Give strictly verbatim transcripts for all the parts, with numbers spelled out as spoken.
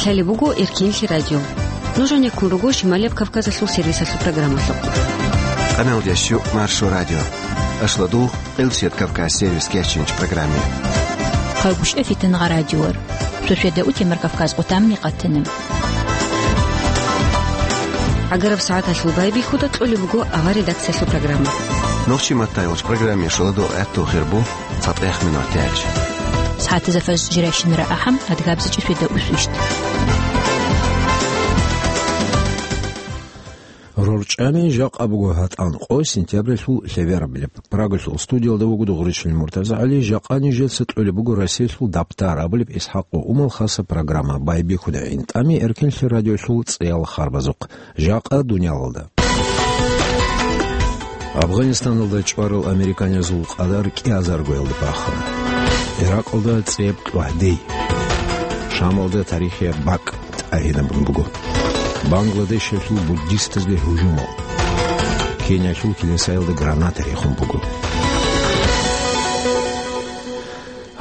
Лъалеб буго Эркинлъи радио. Нуж гьанеккун руго Шималияб Кавказалъул сервисалъул программалъухъ. Къаналдящу Маршо радио. Ашладугъ, Къилсият Кавказ сервис кечинч программе. Хъагушев Фитнагъа радиор. Суседа утемар Кавказ къутамни къатанам. ГӀагараб сагӀаталъул байбихьуда кьолеб буго авар редакциялъул программа. Нохчи маттайолч программе шоладо гӀатту хирбу. ЦатӀех минут тяч. СагӀатазда фаж жирайщинара ахӀам, адгабзичӀи светда усвищ. РорчӀами жакъа буго гьатӀан къо сентябралъул лъеберабилеб. Прагалъул студиялда вуго дугъричил МуртазагӀали. Жакъа нижеца кьолеб буго Россиялъул дабтар абулеб ИсхӀакъ ва Умал хаса программа. Байбихьуда гӀинтӀами Эркинлъи радиолъул цӀеял харбазухъ. Жакъа дуниялалда. Афганистаналда чӀварал американизул къадар кӀиазаргоялда бахана. Иракъалда цӀеб кьвагьдей. Шамалда тарихияб бакӀ тӀагьинабун буго. Бангладешалъул буддистазде гьужумал. Кениялъул килисаялда граната рехун буго.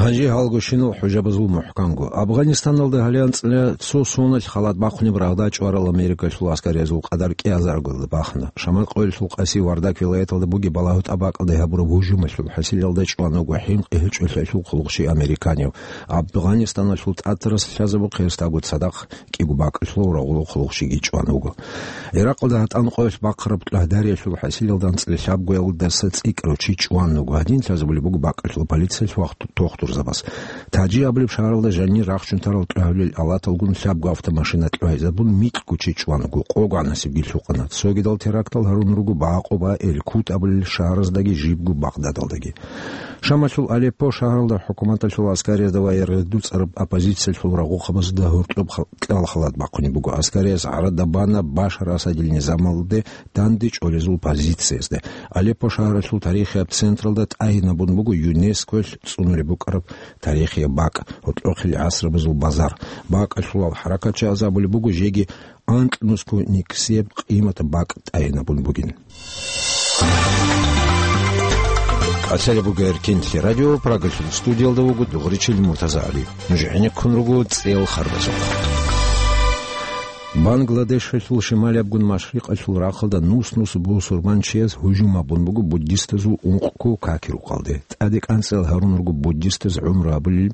Гьанже гьалго щинал хӀужабазул мухӀканго. Афганистаналда гьале анцӀила цо соналъ халат бахъунеб рагъда чӀварал америкалъул аскариязул къадар кӀиазаргоялда бахана. Шамат къоялъул къаси Вардак вилаяталда бугеб балагьу тӀабакӀалда гьабураб гьужумалъул хӀасилалда чӀван вуго хӀинкъи гьечӀолъиялъул хъулухъчи американив. Афганистаналъул тӀатарас лъазабухъ гьесдаго цадахъ кӀиго бакӀалъул рагъулахъулухъ щиги чӀван вуго. Иракъалда гьатӀан къоялъ бахъараб кьагьдариялъул хӀасилалда анцӀила лъабгоялдаса цӀикӀкӀарав чи чӀван вуго. Гьадин лъазабулеб буго бакӀалъул полициялъ ва тохтурзабаз. Таджи абулеб шагьаралда жанир рахчун тарал кьогьабилел алаталгун лъабго автомашина кьогьизабун микьго чи чӀван вуго, къогогӀанасебги лъукъана. Цогидал терактал гьарун руго Бакъуба, Элкут абулел шагьараздаги жибго Багъдадалдаги. Шамалъул Алеппо шагьаралда хӀукуматалъул аскариязда ва яргъи дуцӀараб оппозициялъул рагъухъабазда гьоркьоб хал-, кьал халат бахъунеб буго. Аскарияз гӀарада бана Башар Асадил низамалде данде чӀолезул позициязда. Алеппо шагьаралъул тарихияб централда тӀагьинабун буго ЮНЕСКОялъ цӀунулеб букӀараб тарихияб бакӀ, гьоркьохъел гӀасрабазул базар. БакӀалъулал хӀаракатчияз абулеб буго жеги анкьнусго никсияб къиматаб бакӀ тӀагьинабун бугин. Лъалеб буго Эркинлъи радио, Прагалъул студиялда вуго дугъричил МуртазагӀали. Нуж гӀенеккун руго цӀел харбазухъ. Бангладешалъул шималиябгун машрикъалъул рахъалда нус-нус бусурманчияс гьужум гьабун буго буддистазул ункъго каки рукъалде. ТӀаде кӀанцӀал гьарун руго буддистаз гӀумру гьабулел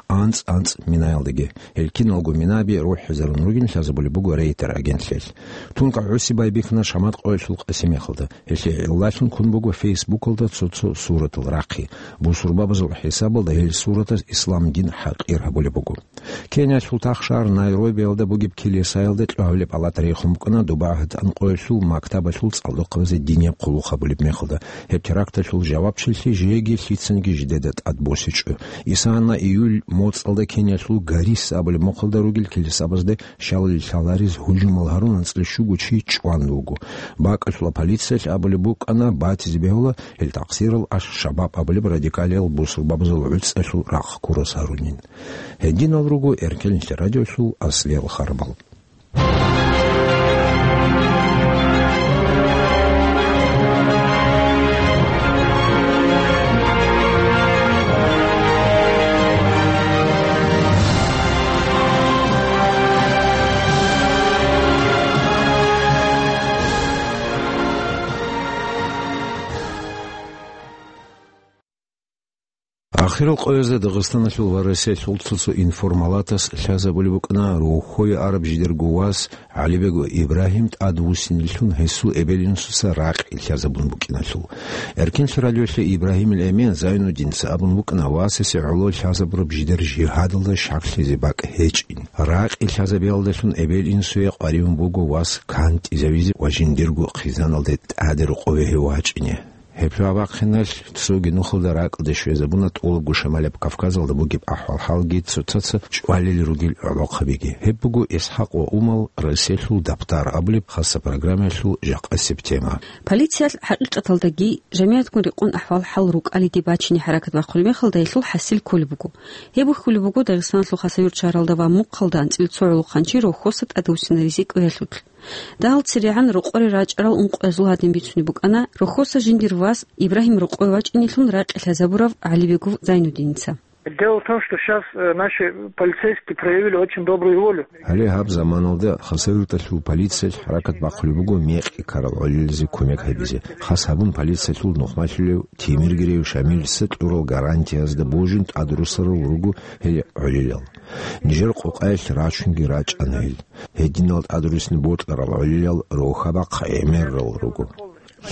анцӀ-анцӀ минаялдаги. Гьел киналго минаби рухӀизарун ругин лъазабулеб буго Рейтер агентлъиялъ. Тункъа гӀуси байбихьана Шамат къоялъул къасимехалда. Гьелъие гӀиллалъун ккун буго Фейсбукалда цо-цо суратал рахъи. Бусурбабазул хӀисабалда гьел суратаз ислам дин хӀакъир гьабулеб буго. Кениялъул тахшагьар Найробиялда бугеб килисаялда кьогьабилеб алат рехун букӀана Дубай гьатӀан къоялъул мактабалъул цӀалдохъабазе динияб хъулухъ гьабулеб мехалда. Гьеб теракталъул жавабчилъи жеги лъицанги жидеда тӀад босичӀо. Исана июль моцӀалда Кениялъул Гарис абулеб мухъалда ругел килисабазде щалил лъаларез гьужумал гьарун анцӀила щуго чи чӀван вуго. БакӀалъула полициялъ абулеб букӀана, батизе бегьула гьел такъсирал Аш-Шабаб абулеб радикалиял бусурбабазул гӀуцӀалъул рахъ ккурас гьарунин. Гьединал руго Эркенлъи радиолъул аслиял харбал. Ахирал къоязда Дагъистаналъул ва Россиялъул цо-цо информалатас лъазабулеб букӀана рохьое араб жидерго вас ГӀалибегов Ибрагьим тӀадвуссинеллъун гьесул эбел-инсуца ракъи лъазабун букӀиналъул. Эркенлъи радиолъе Ибрагьимил эмен Зайнуддинца абун букӀана васасе гӀоло лъазабураб жидер жигьадалда щаклъизе бакӀ гьечӀин. Ракъи лъазабиялдалъун эбел-инсуе къваригӀун буго вас кантӀизавизе ва жиндирго хъизаналде тӀаде рокъове гьев вачӀине. Гьеб абахъиналъ цоги нухалда ракӀалде щвезабуна тӀолабго Шамалияб Кавказалда бугеб ахӀвал-хӀалги цоцаца чӀвалел ругел гӀолохъабиги. Гьеб буго ИсхӀакъ ва Умал Россиялъул дабтар абулеб хаса программаялъул жакъасеб тема. Полициялъ хӀакъикъаталдаги жамигӀатгун рекъон ахӀвал-хӀал рукӀалиде бачине хӀаракат бахъулеб мехалда гьелъул хӀасил кколеб буго. Гьеб бухьулеб буго Дагъистаналъул хасавюрт шагьаралда ва мукъалда анцӀила цо гӀолохъанчи рохьоса тӀадвуссинараб ризкъ вегьалъулъ. Дагьал цере гӀан рокъоре рачӀарал ункъоязул гьадин бицунеб букӀана рохьоса жиндир вас Ибрагьим рокъове вачӀинеллъун ракъи лъазабурав ГӀалибегов Зайнуддинца. Дело в том, что щас, э, наши полицейские проявили очень добрую волю. Гьале гьаб заманалда Хасавюрталъул полициялъ хӀаракат бахъулеб буго мекъи ккарал гӀолилазе кумек гьабизе. Хас гьабун полициялъул нухмалъулев Темиргиреев Шамилица кьурал гарантиязда божун тӀадрусарал руго гьел гӀолилал. Нижер къокъаялъ рачунги рачӀана гьел. Гьединал тӀадрусни бокьарал гӀолилал рохьа-бахъ гӀемерал руго.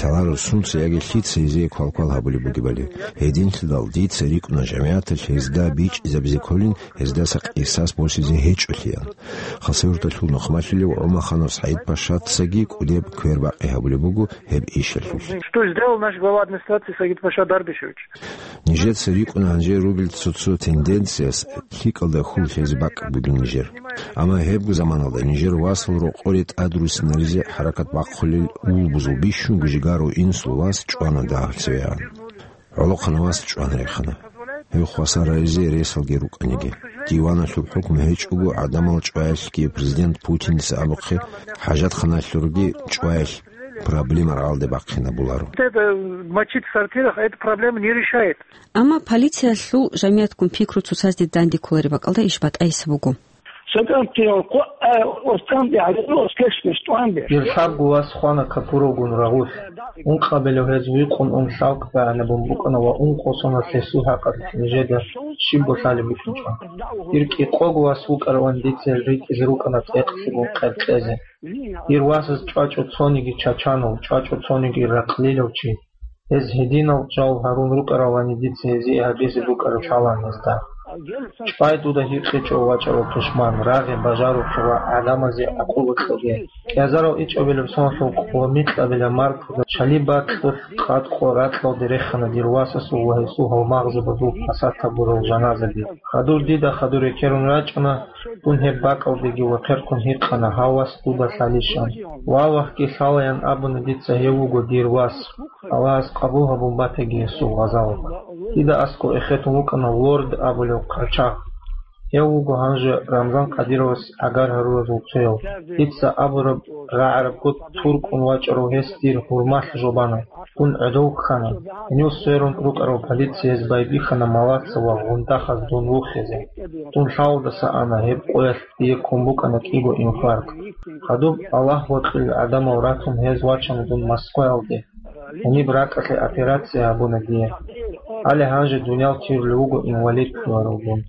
Лъаларо сунца яги лъица гьезие квалквал гьабулеб бугебали. Гьединлъидал дица рикӀкӀуна жамигӀаталъ гьезда бичӀчӀизабизе кколин, гьездаса къисас босизе гьечӀолъиялъ. Хасавюрталъул нухмалъулев ГӀумаханов СагӀид-пашацаги кӀудеб квербакъи гьабулеб буго гьеб ишалъулъ. Что сделал наш глава администрации Сагид-паша Дарбишевич? Нижеца рикӀкӀуна гьанже ругел цо-цо тенденцияс, лъикӀалда хьул лъезе бакӀ бугин нижер. Амма гьебго заманалда нижер васал рокъоре тӀадруссинаризе хӀаракат бахъулел улбузул бищунго жигарав инсул вас чӀвана дагьаб цевегӀан. ГӀолохъанав вас чӀван рехана. Гьев хвасар гьаризе ресалги рукӀаниги. Диваналъул хӀукму гьечӀого гӀадамал чӀваялъги президент Путиница абухъе, хӀажатханалъурги чӀваялъ проблема рагӀалде бахъинабуларо. Это мочить в сортирах, эта проблема не решает. Амма полициялъул жамигӀатгун пикру цоцазде данде кколареб бакӀалда иш батӀайса буго. Сокъан-, Дир лъабго вас хвана капуровгун рагъулъ. Ункъабилев гьез викъун ун лъалкӀ бегӀанабун букӀана ва ункъо соналъ гьесул хӀакъалъулъ нижеда щибго лъалеб букӀинчӀо. Дир кӀикъого вас вукӀараван дица гьел ритӀизе рукӀана тӀекълъигун къеркьезе. Дир васас чӀвачӀо цониги чачанав, чӀвачӀо цониги ракълилав чи. Гьез гьединал жал гьарун рукӀаравани дица гьезие гьабизе букӀараб лъалаан гьезда. ЧӀвай дуда гьикъичӀо вачӀарав тушман, рагъи бажарухъе ва гӀадамазе акъуба кьеге. КӀиазарал ичӀабилеб соналъул къо микьабилеб маркуда чали бакьулъ къад-къо ракьалде рехана дир васасул ва гьесул гьалмагъзабазул пасат гьабурал жаназаби. Хадур дида хадур рекерун рачӀана, дун гьеб бакӀалдеги вехерхъун гьикъана, гьав вас дуда лъалищ ан. Валлагьги лъалаян абуна дица, гьев вуго дир вас. Аллагьас къабул гьабун батаги гьесул гъазават. Дида аскӀов эхетун вукӀана Лорд абулев хъачагъ. Гьев вуго гьанже Рамзан Кадировас гӀагар гьаруразул цояв. Дица абураб рагӀарабго туркӀун вачӀарав гьес дир гьурмалъ жо бана, дун гӀодов ккана. Гьенив сверун рукӀарав полицияз байбихьана малаца ва гъундахъаз дун вухизе. Дун лъалалдаса ана, гьеб къоялъ дие ккун букӀана кӀиго инфаркт. Хадуб Аллагь вокьулел гӀадамал ратун гьез вачана дун Москваялде. Гьениб ракӀалъе операция гьабуна дие. Гьале гьанже дуниял тирулев вуго инвалид кколарав дун.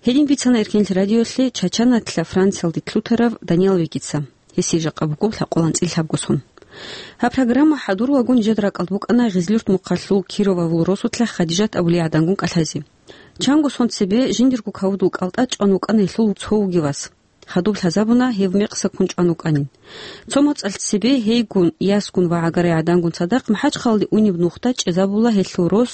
Гьедин бицана Эркенлъи радиолъе Чачаналъа Франциялде лъутарав Данияловигица. Гьесие жакъа буго лъабкъоялда анцӀила лъабго сон. Гьаб программа хӀадурлаго нижеда ракӀалда букӀана Гъизлюрт мухъалъул Кировавул росулъа Хадижат абулей гӀадангун кӀалъазе. Чанго сон цебе жиндирго кавудул кӀалтӀа чӀван вукӀана гьелъул цо вугев вас. Хадуб лъазабуна, гьев мекъса ккун чӀван вукӀанин. Цо моцӀалъ цебе гьейгун, ясгун ва гӀагарай гӀадангун цадахъ МахӀачхъалалде унеб нухда чӀезабула гьелъул рос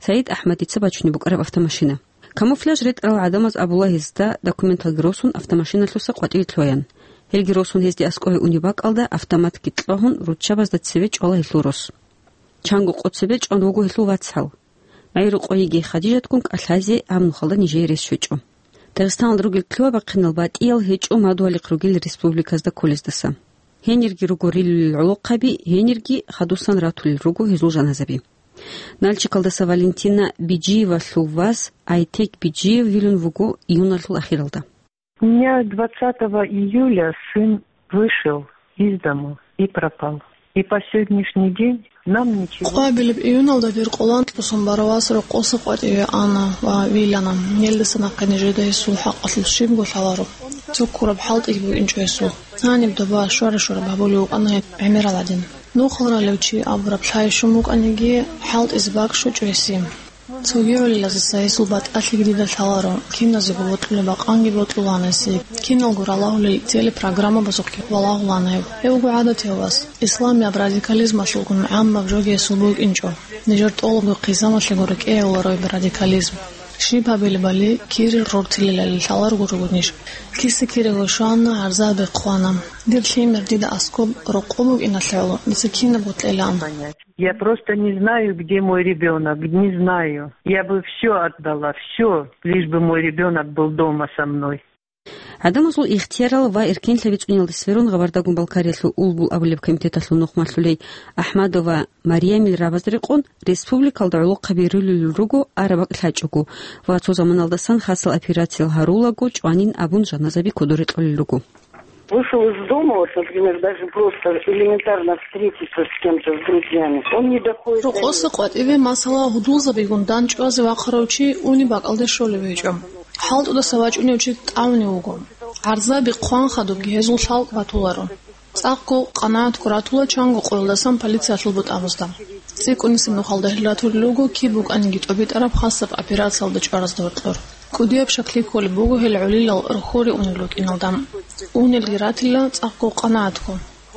СагӀид АхӀмадица бачунеб букӀараб автомашина. Камуфляж ретӀарал гӀадамаз абула гьезда документалги росун автомашиналъуса къватӀиве лъугьаян. Гьелги росун гьезде аскӀове унеб бакӀалда автоматги кьогьун руччабазда цеве чӀвала гьелъул рос. Чанго къо цебе чӀван вуго гьелъул вацгӀал. ГӀайрукъойги Хадижатгун кӀалъазе гьаб нухалда нижее рес щвечӀо. Дагъистаналда ругел лъугьа-бахъинал батӀиял гьечӀо мадугьалихъ ругел республиказда кколездаса. Гьенирги руго рилулел гӀолохъаби, гьенирги хадусан ратулел руго гьезул жаназаби. Нальчикалдаса Валентина Биджиевалъул вас Айтек Биджиев вилун вуго июналъул ахиралда. У меня двадцатого июля сын вышел из дому и пропал. И по сегодняшний день нам ничего. Къоабилеб июналда дир къолан тӀасан баравас рокъоса къватӀиве ана ва вилана. Гьелдаса нахъе нижеда гьесул хӀакъалъулъ щибго лъаларо. Цо ккураб хӀалтӀиги букӀинчӀо гьесул. Гьаниб доба щвара-щвара гьабулев вукӀана гьеб гӀемерал гӀадин. Нухал ралев чи абураб лъай щун букӀаниги, хӀалтӀизе бакӀ щвечӀо гьесие. Цоги гӀолилаздаса гьесул батӀалъиги дида лъаларо, киназего бокьулеб бакъанги бокьулаан гьесие, киналго ралагьулел телепрограммабазухъги валагьулаан гьев. Гьев вуго гӀадатияв вас. Исламияб радикализмалъулгун гӀаммаб жоги гьесул букӀинчӀо. Нижер тӀолабго хъизаналъего рекӀеян гьаруларо гьеб радикализм. Щиб гьабилебали, кири рортилелали лъаларого руго ниж. Киса-кирего щвана, гӀарзаби хъвана. Дир лъимер дида аскӀоб рокъоб букӀиналъе гӀоло, дица кинабго кьелаан. Я просто не знаю, где мой ребёнок, не знаю. Я бы всё отдала, всё, лишь бы мой ребёнок был дома со мной. ГӀадамазул ихтиярал ва эркенлъи бицунелде сверун, Гъабардагун Балкариялъул улбул абулеб комитеталъул нухмалъулей Ахмадова Мариямил рабаз рекъон, республикалда гӀолохъаби рилулел руго араб бакӀ лъачӀого ва цо заманалдасан хасал операциял гьарулаго чӀванин абун жаназаби кодоре кьолел руго. Вышел из дома, вот, например, даже просто элементарно встретиться с кем-то, с друзьями. Он не доходит до Рокъоса къватӀиве, масала, гьудулзабигун дандчӀвазе вахъарав чи унеб бакӀалде щолеб гьечӀо. ХӀалтӀудаса вачӀунев чи тӀамунев вуго. ГӀарзаби хъван хадубги гьезул лъалкӀ батуларо. ЦӀакъго къанагӀат ккуратула чанго къоялдасан полициялъул бутӀамазда. ЦӀикӀкӀунисеб нухалда гьел ратулел руго киб букӀаниги тӀобитӀараб хасаб операциялда чӀваразда гьоркьор. КӀудияб шаклъи кколеб буго гьел гӀолилал рохьоре унел рукӀиналда. Унелги ратила цӀакъго къанагӀатго.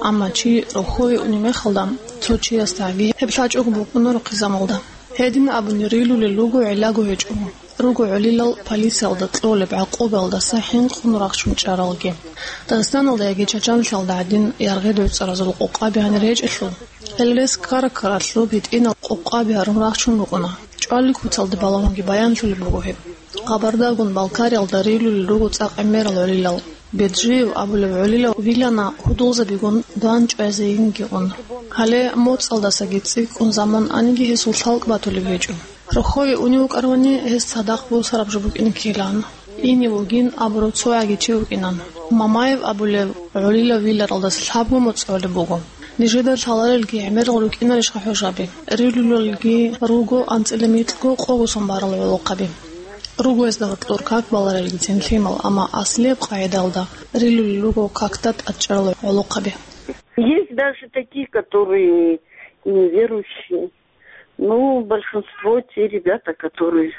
Амма чи рохьове унеб мехалда, цо чиясдагӀаги гьеб лъачӀого букӀунаро хъизамалда. Гьедин абуни рилулел руго гӀиллаго гьечӀого. Руго гӀолилал полициялда кьолеб гӀакъубаялдаса хӀинкъун рахчун чӀаралги. Дагъистаналда яги Чачанлъиялда гӀадин яргъи-дувцӀаразул къокъаби гьанир гьечӀелъул, гьел рес ккара-ккаралъуб гьитӀинал къокъаби гьарун рахчун рукӀуна. ЧӀвалел куцалде балагьунги баянлъулеб буго гьеб. Къабардагун Балкариялда рилулел руго цӀакъ гӀемерал гӀолилал. Беджиев абулев гӀолилав вилана гьудулзабигун дандчӀвазейинги ун. Гьале моцӀалдасаги цӀикӀкӀун заман аниги гьесул лъалкӀ батулеб гьечӀо. Рохьове унев вукӀаравани, гьес цадахъ босараб жо букӀине ккелаан. Ине вугин абурав цо гӀаги чи вукӀинан. Мамаев абулев гӀолилав виларалдаса лъабго моцӀ гӀолеб буго. Нижеда лъаларелги гӀемерал рукӀинарищха хӀужаби? Рилулелги руго анцӀила микьго къогосон барал гӀолохъаби. Руго гьезда гьоркьор как баларелгицин лъимал, амма аслияб къагӀидалда рилулел руго какда тӀадчӀарал гӀолохъаби. Есть даже такие, которые и неверующие. Ну, большинство те ребята, которые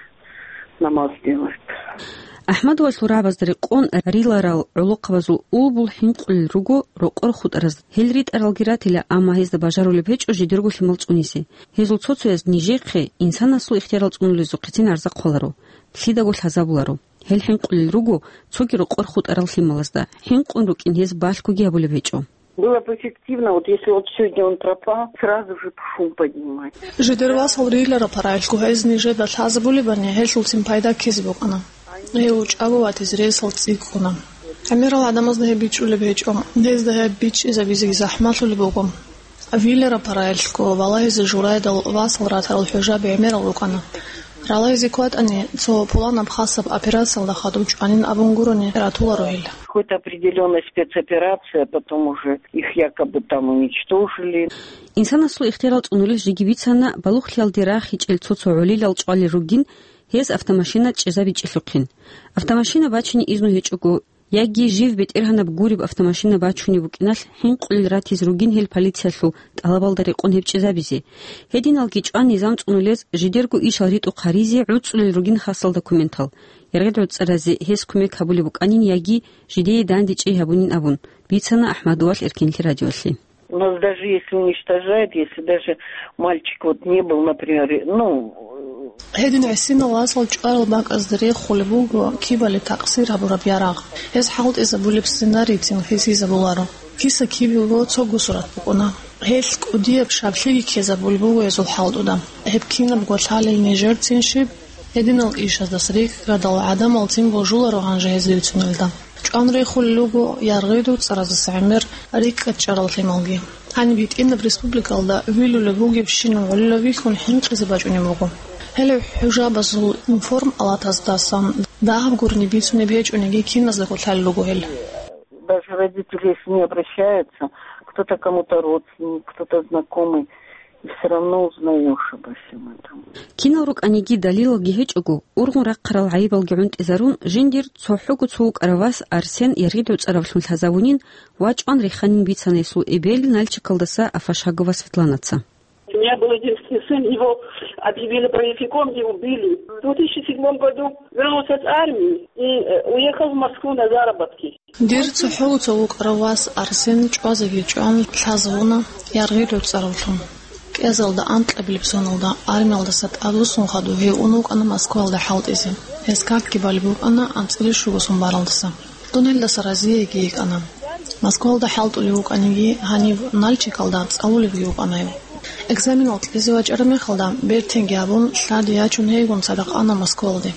намаз делают. Ахмадовалъул рагӀабазда рекъон риларал гӀолохъабазул улбул хӀинкъулел руго рокъор хутӀараз. Гьел ритӀаралги ратила, амма гьезда бажарулеб гьечӀо жидерго лъимал цӀунизе. Гьезул цо-цояз нижехъе, инсанасул ихтиярал цӀунулезухъецин гӀарза хъваларо, лъидаго лъазабуларо. Гьел хӀинкъулел руго цоги рокъор хутӀарал лъималазда, хӀинкъун рукӀин гьез балъгоги гьабулеб гьечӀо. Было бы эффективно, вот если вот сегодня он пропал, сразу же шум поднимать. Жидер васал рилараб парагӀелъго гьез нижеда лъазабулебани, гьелъулцин пайда ккезе букӀана. Гьев чӀаго ватизе ресал цӀикӀкӀуна. ГӀемерал гӀадамазда гьеб бичӀчӀулеб гьечӀо, гьезда гьеб бичӀчӀизабизеги захӀмалъулеб буго. Вилараб парагӀелъго балагьизе журайдал васал ратарал хӀужаби гӀемерал рукӀана. Ралагьизе ккватӀани, цо пуланаб хасаб операциялда хадуб чӀванин абун гурони ратуларо гьел. Какая-то определённая спецоперация, потом уже их якобы там уничтожили. Инсанасул ихтиярал цӀунулел жеги бицана, балугълъиялде рахичӀел цо-цо гӀолилал чӀвалел ругин гьез автомашина чӀезабичӀелъухъин. Автомашина бачине изну гьечӀого, яги жив БетӀергьанаб гуреб автомашина бачунеб букӀиналъ хӀинкъулел ратизе ругин гьел полициялъул тӀалабалда рекъон гьеб чӀезабизе. Гьединалги чӀван низам цӀунулез жидерго ишал ритӀухъ гьаризе гӀуцӀулел ругин хасал документал. ЯргъидгӀуцӀаразе гьес кумек гьабулеб букӀанин яги жидее дандечӀей гьабунин абун, бицана Ахмадовалъ Эркенлъи радиолъе. У нас даже если уничтожают, если даже мальчик вот не был, например, ну, Гьедин гӀисинал васал чӀварал бакӀазда рехулеб буго кибали такъсир гьабураб ярагъ. Гьез хӀалтӀизабулеб сценарийцин хисизабуларо. Киса-кибего цого сурат букӀуна. Гьелъ кӀудияб шаблъиги ккезабулеб буго гьезул хӀалтӀуда. Гьеб кинабго лъалел нижерцин щиб? Гьединал ишаздаса рикӀкӀадал гӀадамалцин божуларо гьанже гьез рицунелда. ЧӀван рехулел руго яргъи-дуцӀараздаса гӀемер рикӀкӀад чӀарал лъималги. Гьаниб гьитӀинаб республикалда вилулеб бугебщинаб гӀолилавилъун хӀинкъизе бачӀунеб буго. Гьеле хӀужабазул информ-алатаздасан дагьаб гурони бицунеб гьечӀониги киназдаго лъалел руго гьел. Даже родители, если не обращаются, кто-то кому-то родственник, кто-то знакомый, и всё равно узнаёшь обо всём этом. Кинал рукӀаниги далилалги гьечӀого, ургъун рахъарал гӀайибалги гӀунтӀизарун, жиндир цохӀого цо вукӀарав вас Арсен яргъи-дуцӀаравлъун лъазавунин ва чӀван реханин бицана гьесул эбел Нальчиковалдаса Афашагова Светланаца. У меня был единственный сын, его объявили боевиком и убили. В две тысячи седьмом году вернулся с армии и, э, уехал в Москву на заработки. Дир цохӀого цо вукӀарав вас Арсен чӀвазеги чӀван лъазавуна яргъи-дуцӀаравлъун. КӀиазалда анкьабилеб соналда армиялдаса тӀадвуссун хадув гьев ун вукӀана Москваялда хӀалтӀизе. Гьес какги балеб букӀана анцӀила щуго сон баралдаса. Дун гьелдаса разиеги йикӀана. Москваялда хӀалтӀулев вукӀаниги, гьанив Нальчиковалда цӀалулевги вукӀана гьев. Экзаменал кьезе вачӀараб мехалда, бертенги гьабун, лъади ячун гьейгун цадахъ ана Москваялде.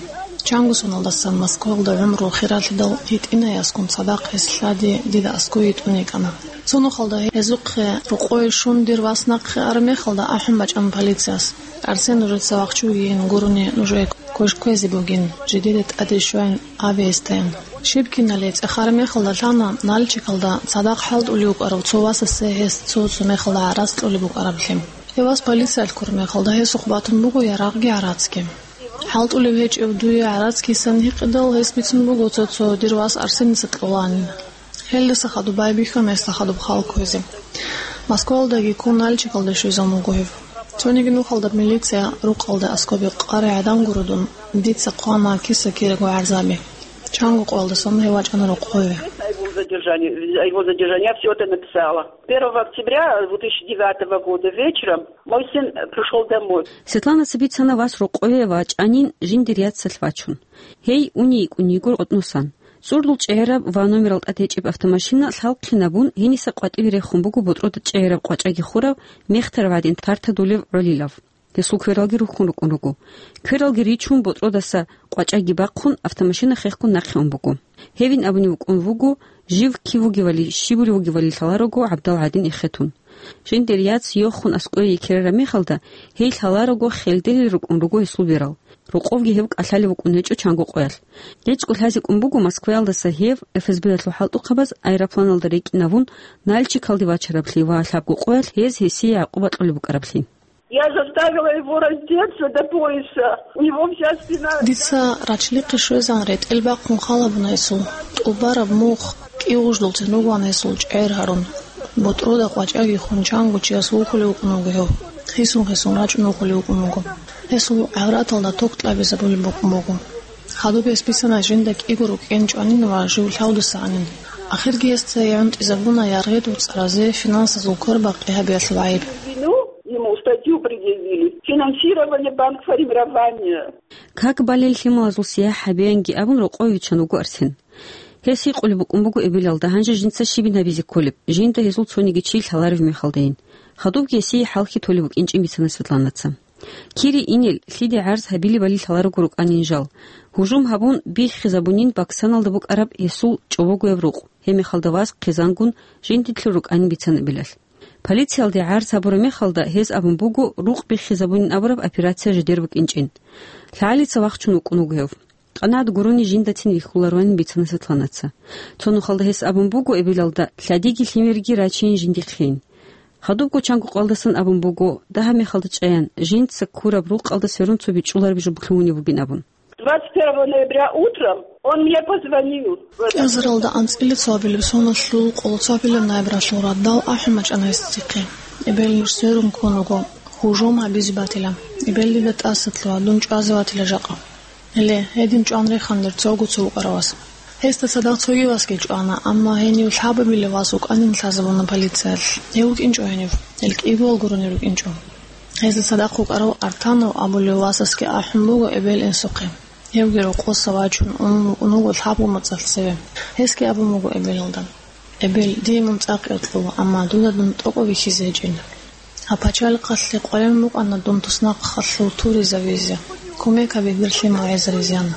Чанго соналдасан Москвалда гӀумру хиралъидал гьитӀинай аскӀун цадахъ гьес лъади дида аскӀове йитӀун йикӀана. Цо нухалда гьезухъе рокъове щун дир вас нахъе араб мехалда ахӀун бачӀана полицияс. Арсен нужеца вахчу вугин гурони нужее квеш кквезе бугин, жидеде тӀаде щвайин абе гьесдайин. Щиб киналей цӀехараб мехалда лъана Нальчикалда цадахъ хӀалтӀулев вукӀарав цо васасе гьес цо-цо мехалда гӀарац кьолеб букӀараблъи. Гьев вас полициялъ ккураб мехалда гьесухъ батун буго ярагъги гӀарацги. ХӀалтӀулев гьечӀев дуе гӀарац кисан гьикъидал гьес бицун буго цо-цо дир вас Арсеница кьоланин. Гьелдаса хадуб байбихьана гьесда хадуб хал кквезе. Москвалдаги ккун Нальчикалде щвезан вуго гьев. Цониги нухалда милиция рукъалда аскӀобе къарай гӀадан гуро дун, дица хъвана киса-кираго гӀарзаби. Чанго къоялдасан гьев вачӀана рокъове. О его задержании, о его задержании я всё это написала. Первого октября две тысячи девятого года вечером мой сын пришёл домой. Светланаца бицана вас рокъове вачӀанин жиндир яцалъ вачун. Гьей уни йикӀун йиго къотӀносан. ЦӀурдул чӀегӀераб ва номерал тӀад гьечӀеб автомашина лъалхъинабун, гьениса къватӀиве рехун буго ботӀрода чӀегӀераб къвачӀаги хурав мехтарав гӀадин тартадулев гӀолилав. Гьесул квералги рухьун рукӀун руго. Квералги ричун, ботӀродаса къвачӀаги бахъун, автомашина хехго нахъе ун буго. Гьевин абунев вукӀун вуго, жив кив вугевали, щибулев вугевали лъаларого гӀабдал гӀадин эхетун. Жиндир яц йохун аскӀое йикерараб мехалда, гьей лъаларого хелделел рукӀун руго гьесул берал. Рокъовги гьев кӀалъалев вукӀун гьечӀо чанго къоялъ. ГьечӀго лъазе кӀун буго Москваялдаса гьев, ФСБ-ялъул хӀалтӀухъабаз аэропланалда рекӀинавун, Нальчикалде вачараблъи ва лъабго къоялъ гьез гьесие гӀакъуба кьолеб букӀараблъи. Я заставила его раздеться до пояса. У него вся спина. Дица рачлихъе щвезан ретӀел бахъун халабуна гьесул. ТӀубараб мухъ, кӀи гъуждулцин ругоан гьесул чӀегӀер гьарун. БутӀрода къвачӀаги хун чанго чияс вухулев вукӀун вуго гьев. Хисун-хисун рачӀун вухулев вукӀун вуго. Гьесул гӀавраталда ток кьабизабулеб букӀун буго. Хадуб гьес бицана жинда кӀиго рукӀин чӀванин ва жив лъавдусанин. Ахирги гьесда гӀунтӀизабуна яргъи дуцӀаразе финансазул квер-бакъи гьабиялъул гӀайиб. Вину ему статью предъявили. Финансирование банк формирования. Как балел лъималазул сияхӀ гьабеянги абун рокъове виччан вуго Арсен. Гьес гьикъулеб букӀун буго эбелалда, гьанже жинца щибин гьабизе кколеб, жинда гьезул цониги чи лъаларев мехалдайин. Хадубги гьесие хӀалхьи толеб букӀинчӀин бицана Светланаца. Кире инел, лъиде гӀарз гьабилебали лъаларого рукӀанин жал. Гьужум гьабун биххизабунин Баксаналда букӀараб гьесул чӀобогояб рукъ, гьеб мехалда вас хъизангун жиндилъун рукӀанин бицана эбелалъ. Полициялде гӀарз гьабураб мехалда, гьез абун буго, рукъ биххизабунин абураб операция жидер букӀинчӀин. ЛъагӀалица вахчун вукӀун вуго гьев. КъанагӀат гурони жиндацин вихьулароанин бицана Светланаца. Цо нухалда гьес абун буго эбелалда, лъадиги лъимерги рачейин жиндихъейин. Хадубго чанго къоялдасан абун буго, дагьаб мехалда чӀаян, жинца ккураб рукъалда сверун цо бичӀчӀулареб жо лъугьунеб бугин абун. Двадцать первого ноября утром он мне позвонил. КӀиазаралда анцӀила цоабилеб соналъул къоло цоабилеб ноябралъул радал ахӀун бачӀана гьесдехъе. Эбел ниж сверун ккун вуго, гьужум гьабизе батила. Эбел дида тӀаса лъугьа, дун чӀвазе ватила жакъа. Гьеле, гьедин чӀван реханила цого цо вукӀарав вас. Гьесда цадахъ цоги васги чӀвана, амма гьенив лъабабилев вас вукӀанин лъазабуна полициялъ. Гьев вукӀинчӀо гьенив, гьел кӀиго гурони рукӀинчӀо. Гьезда цадахъ вукӀарав Артанов абулев васасги ахӀун буго эбел-инсухъе. Гьевги рокъоса вачун унун вукӀун вуго лъабго моцӀалъ цеве. Гьесги абун буго эбелалда: «Эбел, дие мун цӀакъ кьола, амма дуда дун тӀокӀав вихьизе гьечӀин. Гьаб пачалихъалъе къваригӀун букӀана дун туснахъалъув туризавизе, кумек гьабе, дир лъимал гӀезаризеян».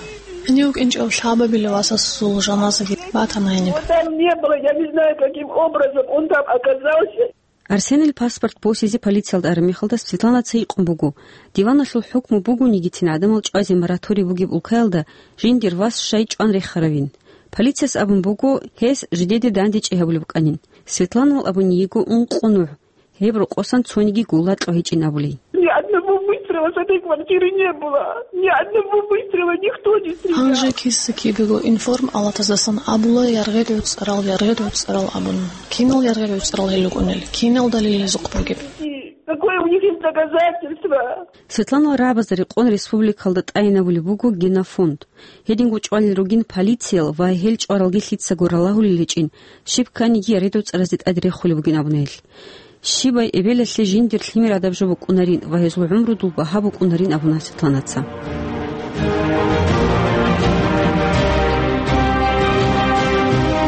Гьенив вукӀинчӀев лъабабилев васасул жаназаги батана гьениб. Там не было, я не знаю, каким образом он там оказался. Арсенил паспорт босизе полициялда араб мехалда Светланаца гьикъун буго, диваналъул хӀукму бугониги, цин гӀадамал чӀвазе мораторий бугеб улкаялда жиндир вас щай чӀван рехаравин. Полицияс абун буго, гьес жидеде дандечӀей гьабулеб букӀанин. Светланал абун йиго ункъо нугӀ, гьеб рокъосан цониги гула кьогьечӀин абулей. Ни одного выстрела с этой квартиры не было. Ни одного выстрела никто не стрелял. Гьанже киса-кибего информалатаздасан абула, яргъи гӀуцӀарал, яргъи гӀуцӀарал абун. Кинал яргъи гӀуцӀарал гьел рукӀунел? Кинал далил гьезухъ бугеб? И какое у них есть доказательство? Светланал рагӀабазда рекъон республикалда тӀайинабулеб буго генофонд. Гьединго чӀвалел ругин полициял ва гьел чӀваралги лъицаго ралагьулел гьечӀин, щиб кканиги яргъи гӀуцӀаразде тӀаде рехулеб бугин абуна гьел. Щибай эбелалъе жиндир лъимер гӀадаб жо букӀунарин ва гьезул гӀумрудул багьа букӀунарин абуна Светланаца.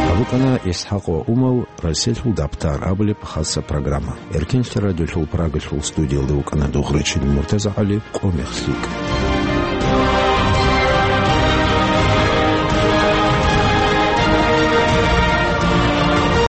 Гьаб букӀана ИсхӀакъ ва Умал, «Расселъул дабтар» абулеб хасаб программа. Эркенлъи радиолъул Прагалъул студиялда вукӀана Дугърачил МуртазагӀали. Къо мехлъи.